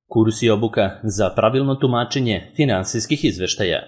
Kurs i obuka za pravilno tumačenje finansijskih izveštaja.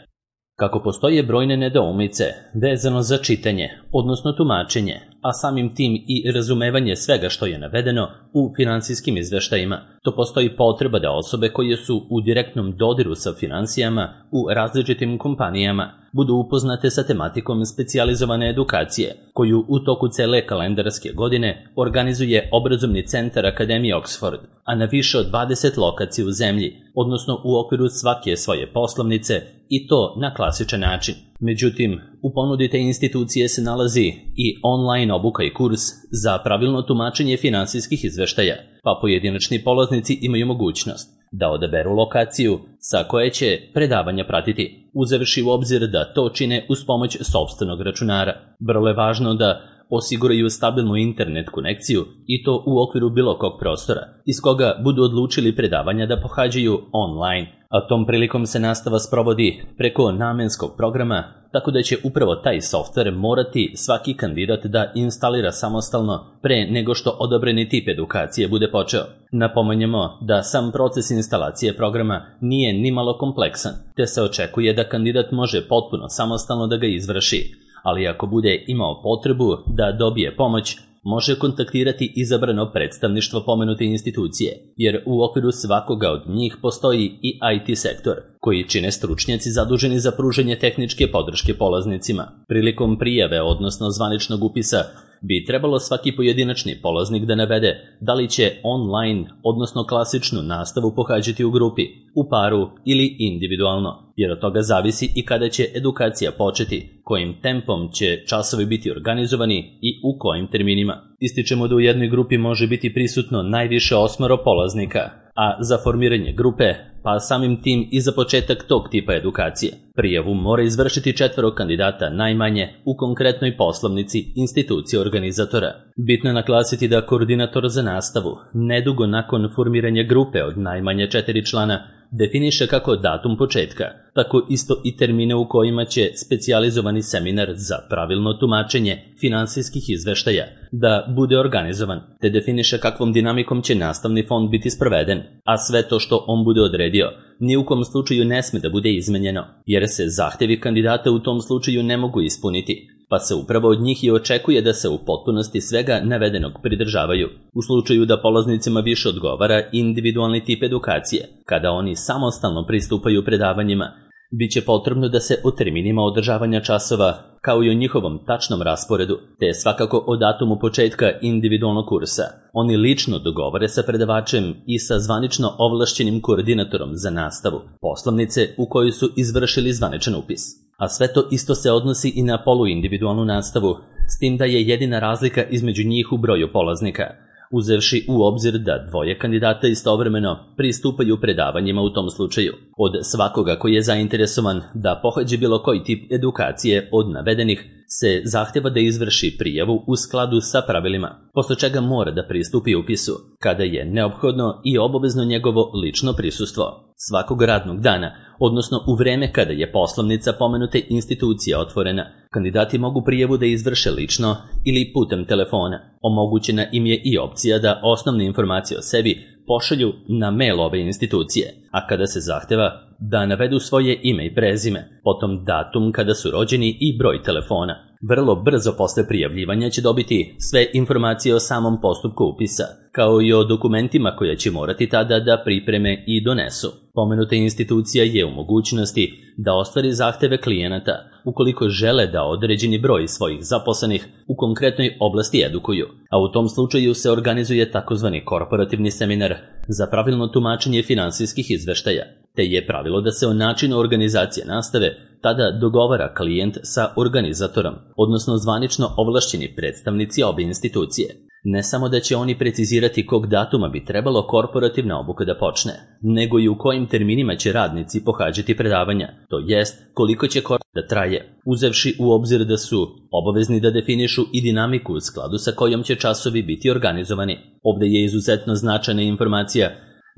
Kako postoje brojne nedoumice vezano za čitanje, odnosno tumačenje, a samim tim i razumevanje svega što je navedeno u finansijskim izveštajima, to postoji potreba da osobe koje su u direktnom dodiru sa finansijama u različitim kompanijama budu upoznate sa tematikom specijalizovane edukacije, koju u toku cele kalendarske godine organizuje obrazovni centar Akademije Oxford, a na više od 20 lokacija u zemlji, odnosno u okviru svake svoje poslovnice, i to na klasičan način. Međutim, u ponudi te institucije se nalazi i online obuka i kurs za pravilno tumačenje finansijskih izveštaja, pa pojedinačni polaznici imaju mogućnost da odaberu lokaciju sa koje će predavanja pratiti, uzevši u obzir da to čine uz pomoć sopstvenog računara. Vrlo je važno da osiguraju stabilnu internet konekciju i to u okviru bilo kog prostora, iz koga budu odlučili predavanja da pohađaju online, a tom prilikom se nastava sprovodi preko namenskog programa, tako da će upravo taj softver morati svaki kandidat da instalira samostalno pre nego što odabrani tip edukacije bude počeo. Napominjemo da sam proces instalacije programa nije nimalo kompleksan, te se očekuje da kandidat može potpuno samostalno da ga izvrši, ali ako bude imao potrebu da dobije pomoć, može kontaktirati izabrano predstavništvo pomenute institucije, jer u okviru svakoga od njih postoji i IT sektor, koji čine stručnjaci zaduženi za pružanje tehničke podrške polaznicima. Prilikom prijave, odnosno zvaničnog upisa, bi trebalo svaki pojedinačni polaznik da navede da li će online, odnosno klasičnu nastavu pohađati u grupi, u paru ili individualno, jer od toga zavisi i kada će edukacija početi, kojim tempom će časovi biti organizovani i u kojim terminima. Ističemo da u jednoj grupi može biti prisutno najviše 8 polaznika, a za formiranje grupe, pa samim tim i za početak tog tipa edukacije, prijavu mora izvršiti 4 kandidata najmanje u konkretnoj poslovnici institucije organizatora. Bitno je naglasiti da koordinator za nastavu, nedugo nakon formiranja grupe od najmanje 4 člana, definiše kako datum početka, tako isto i termine u kojima će specijalizovani seminar za pravilno tumačenje finansijskih izveštaja da bude organizovan, te definiše kakvom dinamikom će nastavni fond biti sproveden, a sve to što on bude odredio ni u kom slučaju ne sme da bude izmenjeno, jer se zahtevi kandidata u tom slučaju ne mogu ispuniti, pa se upravo od njih i očekuje da se u potpunosti svega navedenog pridržavaju. U slučaju da polaznicima više odgovara individualni tip edukacije, kada oni samostalno pristupaju predavanjima, bit će potrebno da se o terminima održavanja časova, kao i o njihovom tačnom rasporedu, te svakako o datumu početka individualnog kursa, oni lično dogovore sa predavačem i sa zvanično ovlašćenim koordinatorom za nastavu poslovnice u kojoj su izvršili zvaničan upis. A sve to isto se odnosi i na poluindividualnu nastavu, s tim da je jedina razlika između njih u broju polaznika, uzevši u obzir da 2 kandidata istovremeno pristupaju predavanjima u tom slučaju. Od svakoga koji je zainteresovan da pohađe bilo koji tip edukacije od navedenih se zahteva da izvrši prijavu u skladu sa pravilima, posle čega mora da pristupi upisu, kada je neophodno i obavezno njegovo lično prisustvo. Svakog radnog dana, odnosno u vreme kada je poslovnica pomenute institucije otvorena, kandidati mogu prijavu da izvrše lično ili putem telefona. Omogućena im je i opcija da osnovne informacije o sebi pošalju na mail ove institucije, a kada se zahteva da navedu svoje ime i prezime, potom datum kada su rođeni i broj telefona. Vrlo brzo posle prijavljivanja će dobiti sve informacije o samom postupku upisa, kao i o dokumentima koje će morati tada da pripreme i donesu. Pomenuta institucija je u mogućnosti da ostvari zahteve klijenata ukoliko žele da određeni broj svojih zaposlenih u konkretnoj oblasti edukuju, a u tom slučaju se organizuje takozvani korporativni seminar za pravilno tumačenje finansijskih izveštaja, te je pravilo da se o načinu organizacije nastave tada dogovara klijent sa organizatorom, odnosno zvanično ovlašćeni predstavnici obe institucije. Ne samo da će oni precizirati kog datuma bi trebalo korporativna obuka da počne, nego i u kojim terminima će radnici pohađati predavanja, to jest koliko će da traje, uzevši u obzir da su obavezni da definišu i dinamiku u skladu sa kojom će časovi biti organizovani. Ovde je izuzetno značajna informacija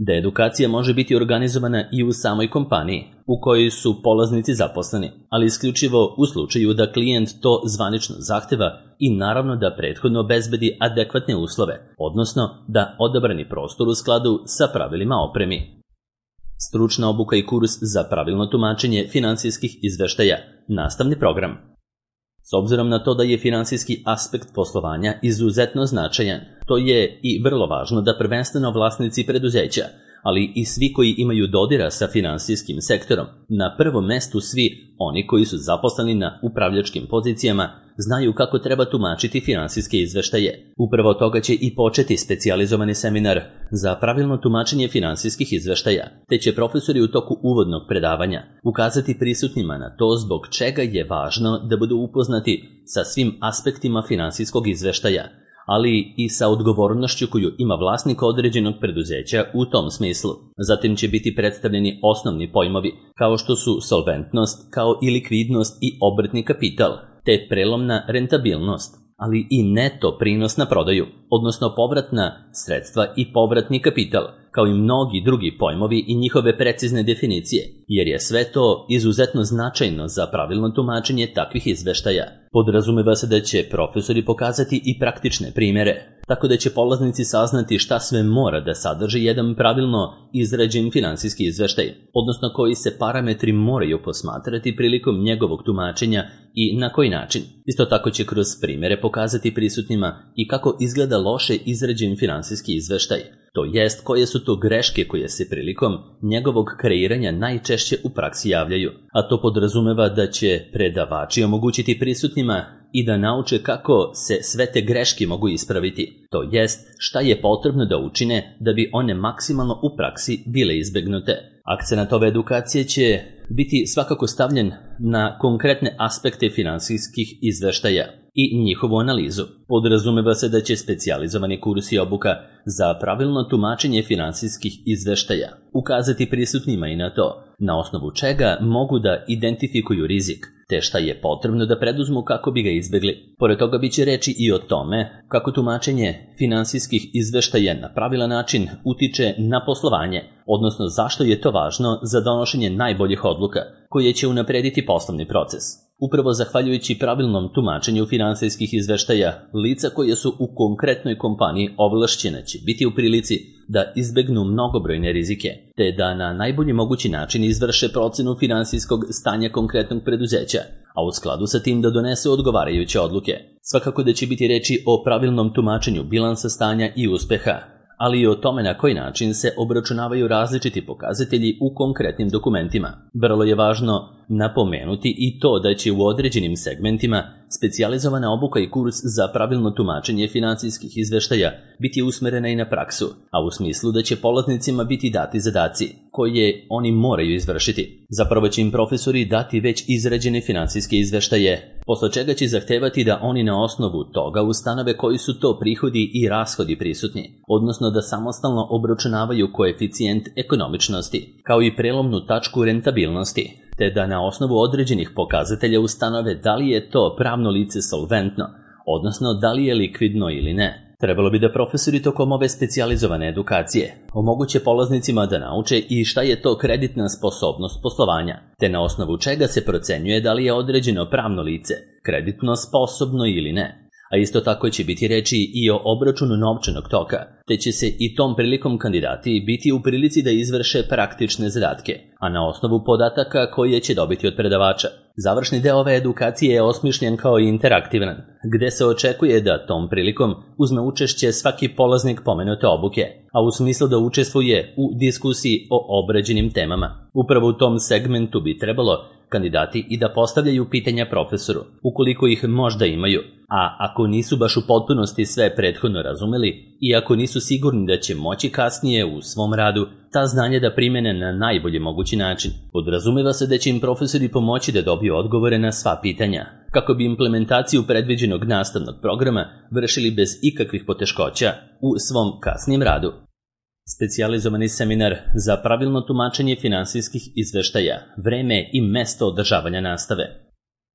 da edukacija može biti organizovana i u samoj kompaniji u kojoj su polaznici zaposleni, ali isključivo u slučaju da klijent to zvanično zahteva i naravno da prethodno obezbedi adekvatne uslove, odnosno da odabrani prostor u skladu sa pravilima opremi. Stručna obuka i kurs za pravilno tumačenje finansijskih izveštaja, nastavni program. S obzirom na to da je finansijski aspekt poslovanja izuzetno značajan, to je i vrlo važno da prvenstveno vlasnici preduzeća, ali i svi koji imaju dodira sa finansijskim sektorom, na prvom mestu svi oni koji su zaposleni na upravljačkim pozicijama, znaju kako treba tumačiti finansijske izveštaje. Upravo toga će i početi specijalizovani seminar za pravilno tumačenje finansijskih izveštaja, te će profesori u toku uvodnog predavanja ukazati prisutnima na to zbog čega je važno da budu upoznati sa svim aspektima finansijskog izveštaja, ali i sa odgovornošću koju ima vlasnik određenog preduzeća u tom smislu. Zatim će biti predstavljeni osnovni pojmovi, kao što su solventnost, kao i likvidnost i obrtni kapital, te prelomna rentabilnost, ali i neto prinos na prodaju, odnosno povratna sredstva i povratni kapital, kao i mnogi drugi pojmovi i njihove precizne definicije, jer je sve to izuzetno značajno za pravilno tumačenje takvih izveštaja. Podrazumeva se da će profesori pokazati i praktične primjere, tako da će polaznici saznati šta sve mora da sadrži jedan pravilno izrađen finansijski izveštaj, odnosno koji se parametri moraju posmatrati prilikom njegovog tumačenja i na koji način. Isto tako će kroz primjere pokazati prisutnima i kako izgleda loše izrađen finansijski izveštaj, to jest koje su to greške koje se prilikom njegovog kreiranja najčešće u praksi javljaju, a to podrazumeva da će predavači omogućiti prisutnima i da nauče kako se sve te greške mogu ispraviti, to jest šta je potrebno da učine da bi one maksimalno u praksi bile izbegnute. Akcenat ove edukacije će biti svakako stavljen na konkretne aspekte finansijskih izveštaja i njihovu analizu. Podrazumeva se da će specijalizovani kurs i obuka za pravilno tumačenje finansijskih izveštaja ukazati prisutnima i na to na osnovu čega mogu da identifikuju rizik, te šta je potrebno da preduzmu kako bi ga izbegli. Pored toga biće reči i o tome kako tumačenje finansijskih izveštaja na pravilan način utiče na poslovanje, odnosno zašto je to važno za donošenje najboljih odluka koje će unaprediti poslovni proces. Upravo zahvaljujući pravilnom tumačenju finansijskih izveštaja, lica koje su u konkretnoj kompaniji ovlašćena će biti u prilici da izbegnu mnogobrojne rizike, te da na najbolji mogući način izvrše procenu finansijskog stanja konkretnog preduzeća, a u skladu sa tim da donesu odgovarajuće odluke. Svakako da će biti reči o pravilnom tumačenju bilansa stanja i uspeha, ali i o tome na koji način se obračunavaju različiti pokazatelji u konkretnim dokumentima. Vrlo je važno napomenuti i to da će u određenim segmentima specijalizovana obuka i kurs za pravilno tumačenje finansijskih izveštaja biti usmerena i na praksu, a u smislu da će polaznicima biti dati zadaci koje oni moraju izvršiti. Zapravo će im profesori dati već izrađene finansijske izveštaje, posle čega će zahtevati da oni na osnovu toga ustanove koji su to prihodi i rashodi prisutni, odnosno da samostalno obračunavaju koeficijent ekonomičnosti, kao i prelomnu tačku rentabilnosti, te da na osnovu određenih pokazatelja ustanove da li je to pravno lice solventno, odnosno da li je likvidno ili ne. Trebalo bi da profesori tokom ove specijalizovane edukacije omoguće polaznicima da nauče i šta je to kreditna sposobnost poslovanja, te na osnovu čega se procenjuje da li je određeno pravno lice kreditno sposobno ili ne. A isto tako će biti reči i o obračunu novčanog toka, te će se i tom prilikom kandidati biti u prilici da izvrše praktične zadatke, a na osnovu podataka koje će dobiti od predavača. Završni deo ove edukacije je osmišljen kao interaktivan, gde se očekuje da tom prilikom uzme učešće svaki polaznik pomenute obuke, a u smislu da učestvuje u diskusiji o obrađenim temama. Upravo u tom segmentu bi trebalo kandidati i da postavljaju pitanja profesoru, ukoliko ih možda imaju, a ako nisu baš u potpunosti sve prethodno razumeli i ako nisu sigurni da će moći kasnije u svom radu ta znanja da primene na najbolji mogući način. Podrazumeva se da će im profesori pomoći da dobiju odgovore na sva pitanja, kako bi implementaciju predviđenog nastavnog programa vršili bez ikakvih poteškoća u svom kasnijem radu. Specijalizovani seminar za pravilno tumačenje finansijskih izveštaja, vreme i mesto održavanja nastave.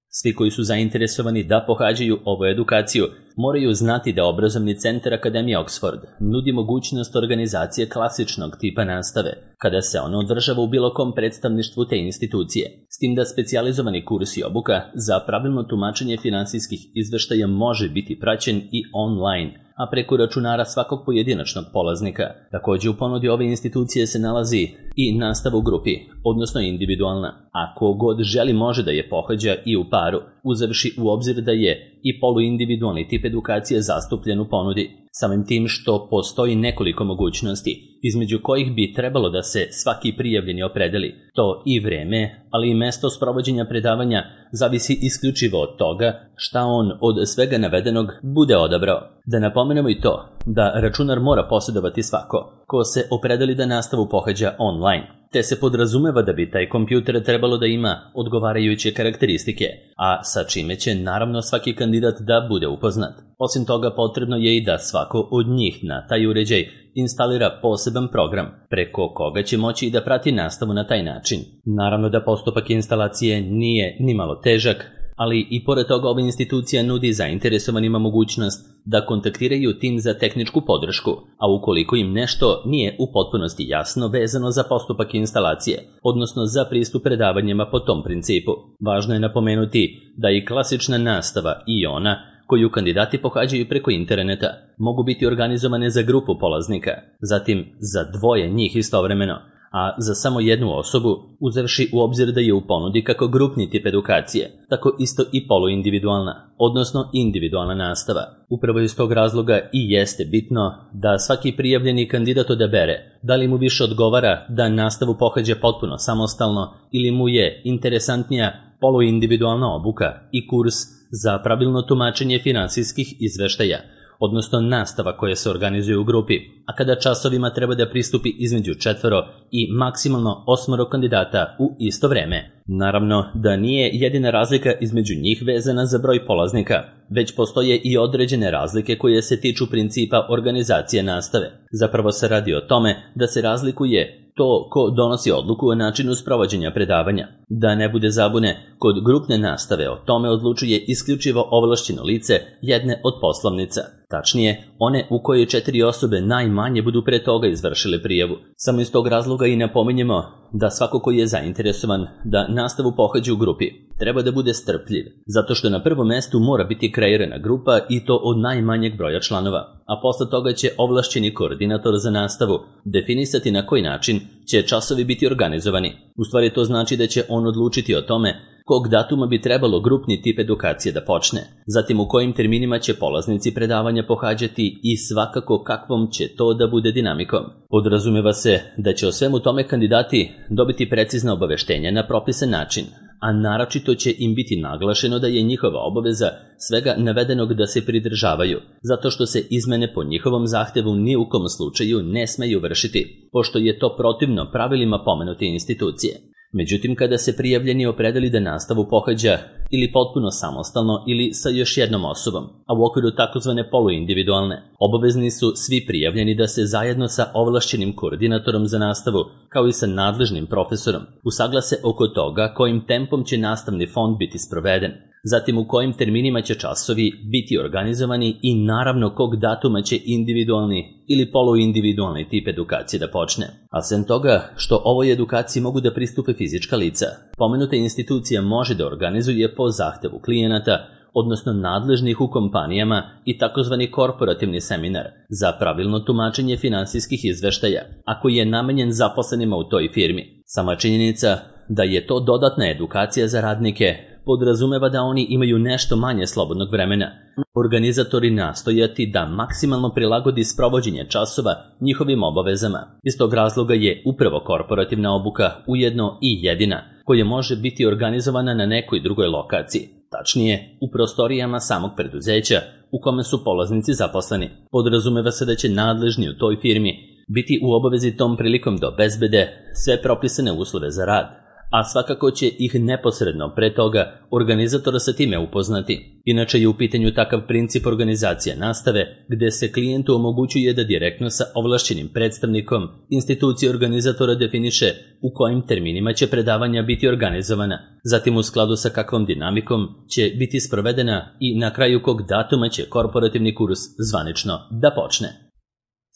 Svi koji su zainteresovani da pohađaju ovu edukaciju moraju znati da obrazovni centar Akademije Oxford nudi mogućnost organizacije klasičnog tipa nastave, kada se ono održava u bilo kom predstavništvu te institucije, s tim da specijalizovani kurs i obuka za pravilno tumačenje finansijskih izveštaja može biti praćen i online, a preko računara svakog pojedinačnog polaznika. Također u ponudi ove institucije se nalazi i nastava u grupi, odnosno individualna. Ako god želi može da je pohađa i u paru, uzevši u obzir da je i poluindividualni tip edukacije zastupljen u ponudi. Samim tim što postoji nekoliko mogućnosti, između kojih bi trebalo da se svaki prijavljeni opredeli. To i vreme, ali i mesto sprovođenja predavanja zavisi isključivo od toga šta on od svega navedenog bude odabrao. Da napomenemo i to da računar mora posjedovati svako ko se opredeli da nastavu pohađa online, te se podrazumeva da bi taj kompjuter trebalo da ima odgovarajuće karakteristike, a sa čime će naravno svaki kandidat da bude upoznat. Osim toga, potrebno je i da svako od njih na taj uređaj instalira poseban program, preko koga će moći i da prati nastavu na taj način. Naravno da postupak instalacije nije nimalo težak, ali i pored toga ova institucija nudi zainteresovanima mogućnost da kontaktiraju tim za tehničku podršku, a ukoliko im nešto nije u potpunosti jasno vezano za postupak instalacije, odnosno za pristup predavanjima po tom principu. Važno je napomenuti da i klasična nastava i ona koju kandidati pohađaju preko interneta mogu biti organizovane za grupu polaznika, zatim za dvoje njih istovremeno, a za samo jednu osobu, uzevši u obzir da je u ponudi kako grupni tip edukacije, tako isto i poluindividualna, odnosno individualna nastava. Upravo iz tog razloga i jeste bitno da svaki prijavljeni kandidat odabere da li mu više odgovara da nastavu pohađa potpuno samostalno ili mu je interesantnija poluindividualna obuka i kurs za pravilno tumačenje finansijskih izveštaja, odnosno nastava koja se organizuje u grupi, a kada časovima treba da pristupi između 4 i maksimalno 8 kandidata u isto vreme. Naravno da nije jedina razlika između njih vezana za broj polaznika, već postoje i određene razlike koje se tiču principa organizacije nastave. Zapravo se radi o tome da se razlikuje to ko donosi odluku o načinu sprovođenja predavanja. Da ne bude zabune, kod grupne nastave o tome odlučuje isključivo ovlašćeno lice jedne od poslovnica. Tačnije, one u koje 4 osobe najmanje budu pre toga izvršile prijavu. Samo iz tog razloga i napominjemo da svako koji je zainteresovan da nastavu pohađa u grupi treba da bude strpljiv, zato što na prvom mestu mora biti kreirana grupa i to od najmanjeg broja članova, a posle toga će ovlašćeni koordinator za nastavu definisati na koji način će časovi biti organizovani. U stvari to znači da će on odlučiti o tome kog datuma bi trebalo grupni tip edukacije da počne, zatim u kojim terminima će polaznici predavanja pohađati i svakako kakvom će to da bude dinamikom. Podrazumeva se da će o svemu tome kandidati dobiti precizna obaveštenja na propisan način, a naročito će im biti naglašeno da je njihova obaveza svega navedenog da se pridržavaju, zato što se izmene po njihovom zahtevu ni u kom slučaju ne smeju vršiti, pošto je to protivno pravilima pomenute institucije. Međutim, kada se prijavljeni opredeli da nastavu pohađa ili potpuno samostalno ili sa još jednom osobom, a u okviru takozvane poluindividualne, obavezni su svi prijavljeni da se zajedno sa ovlašćenim koordinatorom za nastavu, kao i sa nadležnim profesorom, usaglase oko toga kojim tempom će nastavni fond biti sproveden, zatim u kojim terminima će časovi biti organizovani i naravno kog datuma će individualni ili poluindividualni tip edukacije da počne. A sem toga što ovoj edukaciji mogu da pristupe fizička lica, pomenuta institucija može da organizuje po zahtevu klijenata, odnosno nadležnih u kompanijama i takozvani korporativni seminar za pravilno tumačenje finansijskih izveštaja, ako je namenjen zaposlenima u toj firmi. Sama činjenica da je to dodatna edukacija za radnike podrazumeva da oni imaju nešto manje slobodnog vremena. Organizatori nastojati da maksimalno prilagodi sprovođenje časova njihovim obavezama. Iz tog razloga je upravo korporativna obuka ujedno i jedina koja može biti organizovana na nekoj drugoj lokaciji, tačnije u prostorijama samog preduzeća u kome su polaznici zaposleni. Podrazumeva se da će nadležni u toj firmi biti u obavezi tom prilikom da obezbede sve propisane uslove za rad, a svakako će ih neposredno pre toga organizatora sa time upoznati. Inače je u pitanju takav princip organizacije nastave, gde se klijentu omogućuje da direktno sa ovlašćenim predstavnikom institucije organizatora definiše u kojim terminima će predavanja biti organizovana, zatim u skladu sa kakvom dinamikom će biti sprovedena i na kraju kog datuma će korporativni kurs zvanično da počne.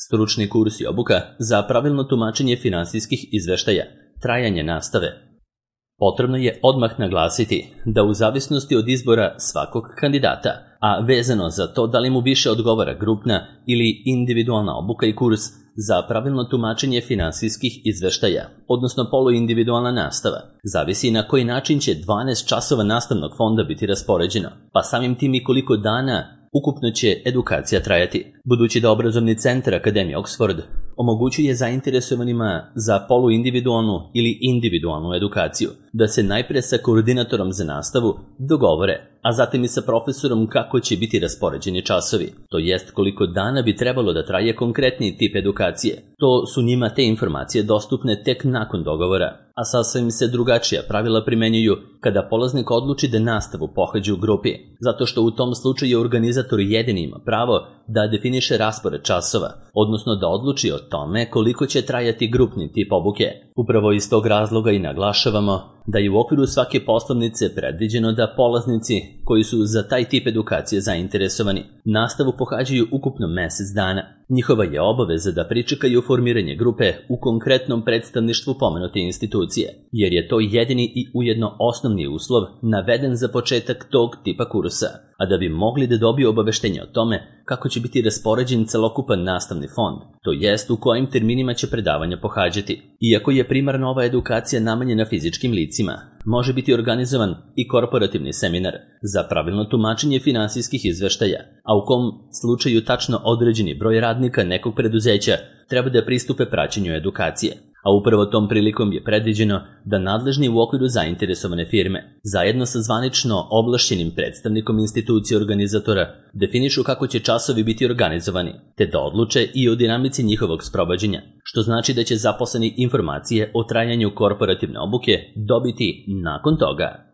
Stručni kurs i obuka za pravilno tumačenje finansijskih izveštaja, trajanje nastave. Potrebno je odmah naglasiti da u zavisnosti od izbora svakog kandidata, a vezano za to da li mu više odgovara grupna ili individualna obuka i kurs, Za pravilno tumačenje finansijskih izveštaja, odnosno poluindividualna nastava, zavisi na koji način će 12 časova nastavnog fonda biti raspoređeno, pa samim tim i koliko dana ukupno će edukacija trajati. Budući da obrazovni centar Akademije Oxford omogućuje zainteresovanima za poluindividualnu ili individualnu edukaciju da se najpre sa koordinatorom za nastavu dogovore, a zatim i sa profesorom kako će biti raspoređeni časovi, to jest koliko dana bi trebalo da traje konkretni tip edukacije. To su njima te informacije dostupne tek nakon dogovora, a sasvim se drugačija pravila primenjuju kada polaznik odluči da nastavu pohađa u grupi, zato što u tom slučaju organizator jedini ima pravo da definiše raspored časova, odnosno da odluči o tome koliko će trajati grupni tip obuke. Upravo iz tog razloga i naglašavamo da je u okviru svake poslovnice predviđeno da polaznici koji su za taj tip edukacije zainteresovani nastavu pohađaju ukupno mesec dana. Njihova je obaveza da pričekaju formiranje grupe u konkretnom predstavništvu pomenute institucije, jer je to jedini i ujedno osnovni uslov naveden za početak tog tipa kursa, a da bi mogli da dobiju obaveštenje o tome kako će biti raspoređen celokupan nastavni fond, to jest u kojim terminima će predavanja pohađati. Iako je primarna ova edukacija namenjena fizičkim licima, može biti organizovan i korporativni seminar za pravilno tumačenje finansijskih izveštaja, a u kom slučaju tačno određeni broj radnika nekog preduzeća treba da pristupe praćenju edukacije. A upravo tom prilikom je predviđeno da nadležni u okviru zainteresovane firme, zajedno sa zvanično ovlašćenim predstavnikom institucije organizatora, definišu kako će časovi biti organizovani, te da odluče i o dinamici njihovog sprovođenja, što znači da će zaposleni informacije o trajanju korporativne obuke dobiti nakon toga.